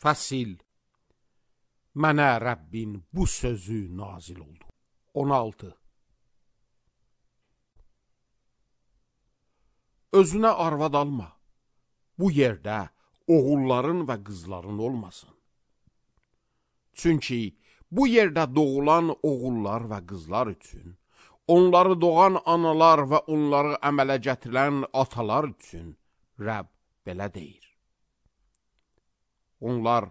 Fəsil. Mənə Rəbbin bu sözü nazil oldu. 16. Özünə arvad alma. Bu yerdə oğulların və qızların olmasın. Çünki bu yerdə doğulan oğullar və qızlar üçün, onları doğan analar və onları əmələ gətirən atalar üçün Rəbb belə deyir. Onlar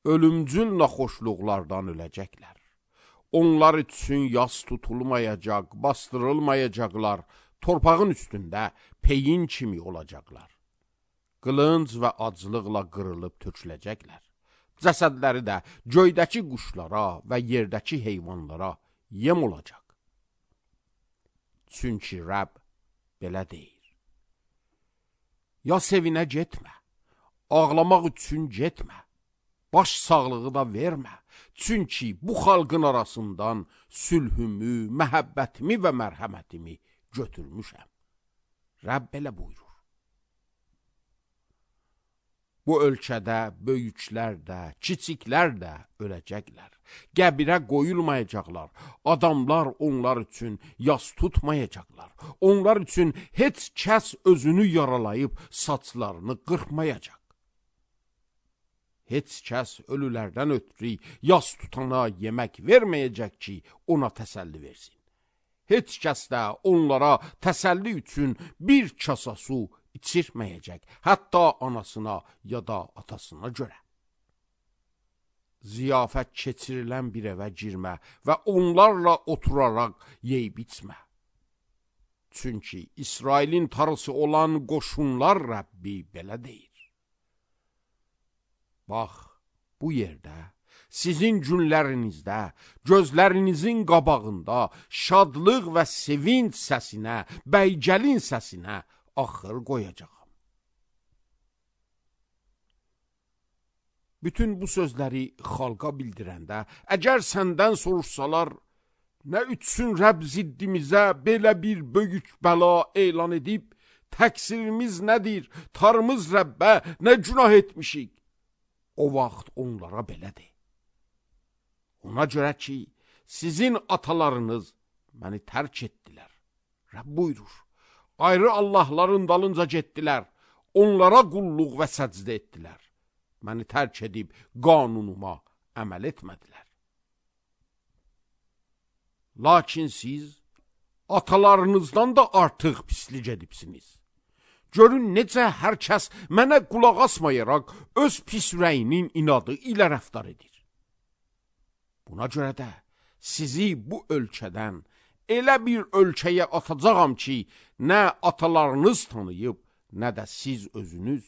ölümcül naxoşluqlardan öləcəklər. Onlar üçün yas tutulmayacaq, bastırılmayacaqlar, torpağın üstündə peyin kimi olacaqlar. Qılınc və aclıqla qırılıb töküləcəklər. Cəsədləri də göydəki quşlara və yerdəki heyvanlara yem olacaq. Çünki Rəbb belə deyir. Ya sevinə getmə, ağlamaq üçün getmə, baş sağlığı da vermə. Çünki bu xalqın arasından sülhümü, məhəbbətimi və mərhəmətimi götürmüşəm. Rəbb belə buyurur. Bu ölkədə böyüklər də, kiçiklər də öləcəklər. Qəbirə qoyulmayacaqlar. Adamlar onlar üçün yas tutmayacaqlar. Onlar üçün heç kəs özünü yaralayıb saçlarını qırxmayacaq. Heç kəs ölülərdən ötürü yas tutana yemək verməyəcək ki, ona təsəlli versin. Heç kəs də onlara təsəlli üçün bir kasa su içirməyəcək, hətta anasına ya da atasına görə. Ziyafət keçirilən bir evə girmə və onlarla oturaraq yeyib içmə. Çünki İsrailin tarısı olan qoşunlar Rəbbi belə deyir. Bax, bu yerdə, sizin günlərinizdə, gözlərinizin qabağında şadlıq və sevinç səsinə, bəygəlin səsinə axır qoyacağam. Bütün bu sözləri xalqa bildirəndə, əgər səndən soruşsalar, nə üçün Rəbb ziddimizə belə bir böyük bəla elan edib, təqsirimiz nədir, tarımız Rəbbə nə günah etmişik? O vaxt onlara belə de. Ona görə ki, sizin atalarınız məni tərk etdilər. Rəbb buyurur. Ayrı Allahların dalınca getdilər, onlara qulluq və səcdə etdilər. Məni tərk edib qanunuma əməl etmədilər. Lakin siz atalarınızdan da artıq pislik edibsiniz. Görün necə hər kəs mənə qulaq asmayaraq öz pis ürəyinin inadı ilə rəftar edir. Buna görə də sizi bu ölkədən elə bir ölkəyə atacağam ki, nə atalarınız tanıyıb, nə də siz özünüz.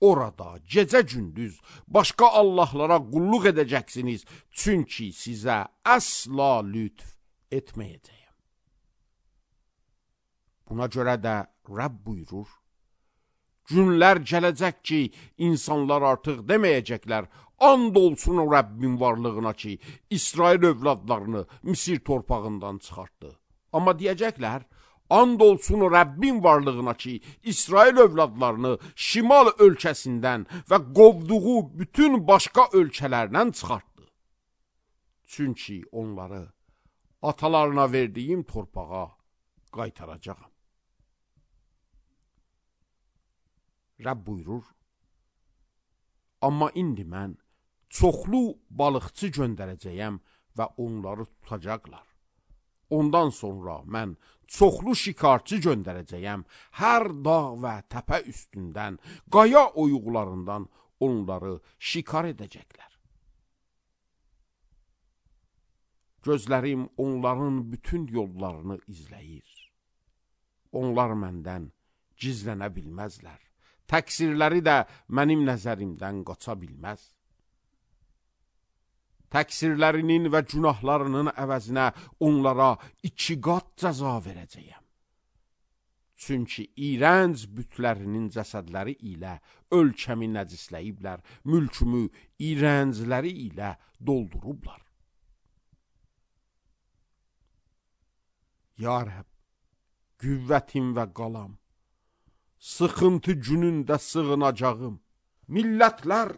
Orada gecə-gündüz başqa Allahlara qulluq edəcəksiniz, çünki sizə əsla lütf etməyəcəyəm. Buna görə də Rəbb buyurur, günlər gələcək ki, insanlar artıq deməyəcəklər, and olsun o Rəbbin varlığına ki, İsrail övladlarını Misir torpağından çıxartdı. Amma deyəcəklər, and olsun o Rəbbin varlığına ki, İsrail övladlarını şimal ölkəsindən və qovduğu bütün başqa ölkələrdən çıxartdı. Çünki onları atalarına verdiyim torpağa qaytaracağam. Rəbb buyurur, amma indi mən çoxlu balıqçı göndərəcəyəm və onları tutacaqlar. Ondan sonra mən çoxlu şikarçı göndərəcəyəm, hər dağ və təpə üstündən, qaya oyuqlarından onları şikar edəcəklər. Gözlərim onların bütün yollarını izləyir. Onlar məndən gizlənə bilməzlər. Təqsirləri də mənim nəzərimdən qaça bilməz. Təqsirlərinin və günahlarının əvəzinə onlara 2 qat cəza verəcəyəm. Çünki iyrənc bütlərinin cəsədləri ilə ölkəmi nəcisləyiblər, mülkümü iyrəncləri ilə doldurublar. Ya Rəbb, qüvvətim və qalam, sıxıntı günündə sığınacağım. Millətlər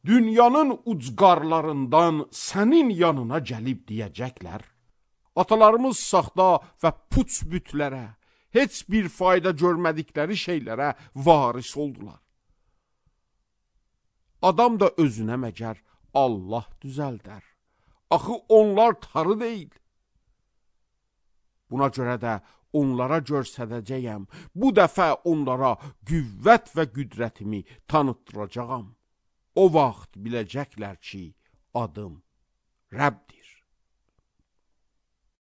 dünyanın ucqarlarından sənin yanına gəlib deyəcəklər. Atalarımız saxta və puç bütlərə, heç bir fayda görmədikləri şeylərə varis oldular. Adam da özünə məgər Allah düzəldər. Axı onlar tarı deyil. Buna görə də onlara göstərəcəyəm. Bu dəfə onlara qüvvət və qüdrətimi tanıtdıracağam. O vaxt biləcəklər ki, adım Rəbdir.